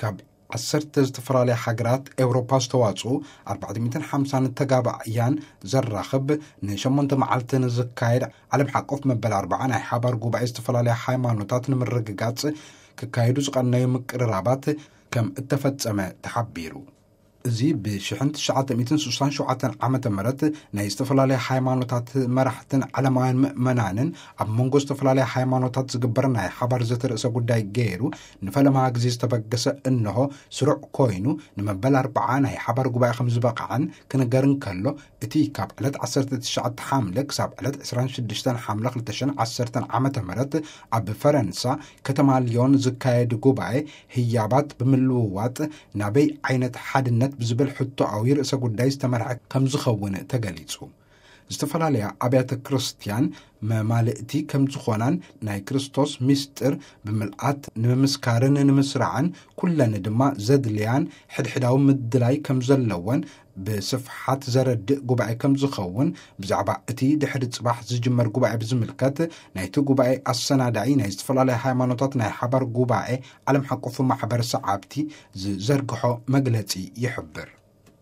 ካብ ዓሰርተ ዝተፈላለያ ሃገራት ኤውሮፓ ዝተዋጽኡ ኣርባዕተ ሚእትን ሓምሳን ተጋባእያን ዘራኽብ ንሸሞንተ መዓልቲ ንዝካየድ ዓለም ሓቆፍ መበል ኣርባዓ ናይ ሓባር ጉባኤ ዝተፈላለያ ሃይማኖታት ንምርግጋጽ ክካየዱ ዝቐነዩ ምቅርራባት ከም እተፈጸመ ተሓቢሩ። እዚ ብ ሽሕን ትሽዓተ ሚእትን ስሳን ሸውዓተን ዓመተ ምህረት ናይ ዝተፈላለያ ሃይማኖታት መራሕትን ዓለማውያን ምእመናንን ኣብ መንጎ ዝተፈላለያ ሃይማኖታት ዝግበር ናይ ሓባር ዘተ ርእሰ ጉዳይ ገይሩ ንፈለማ ግዜ ዝተበገሰ እንሆ ስሩዕ ኮይኑ ንመበል ኣርባዓ ናይ ሓባር ጉባኤ ከም ዝበቕዐን ክንገር እንከሎ፣ እቲ ካብ ዕለት ዓሰርተ ትሽዓተ ሓምለ ክሳብ ዕለት ዕስራን ሽዱሽተን ሓምለ ክልተ ሽሕን ዓሰርተን ዓመተ ምህረት ኣብ ፈረንሳ ከተማ ሊዮን ዝካየድ ጉባኤ ህያባት ብምልውዋጥ ናበይ ዓይነት ሓድነት ብዝብል ሕቶኣዊ ርእሰ ጉዳይ ዝተመርሐ ከም ዝኸውን ተገሊጹ። ዝተፈላለያ ኣብያተ ክርስቲያን መማልእቲ ከም ዝኾናን ናይ ክርስቶስ ምስጢር ብምልኣት ንምምስካርን ንምስራዕን ኩለን ድማ ዘድልያን ሕድሕዳዊ ምድላይ ከም ዘለወን ብስፍሓት ዘረድእ ጉባኤ ከም ዝኸውን ብዛዕባ እቲ ድሕሪ ጽባሕ ዝጅመር ጉባኤ ብዝምልከት ናይቲ ጉባኤ ኣሰናዳኢ ናይ ዝተፈላለያ ሃይማኖታት ናይ ሓባር ጉባኤ ዓለም ሓቆፉ ማሕበር ሰዓብቲ ዝዘርግሖ መግለጺ ይሕብር።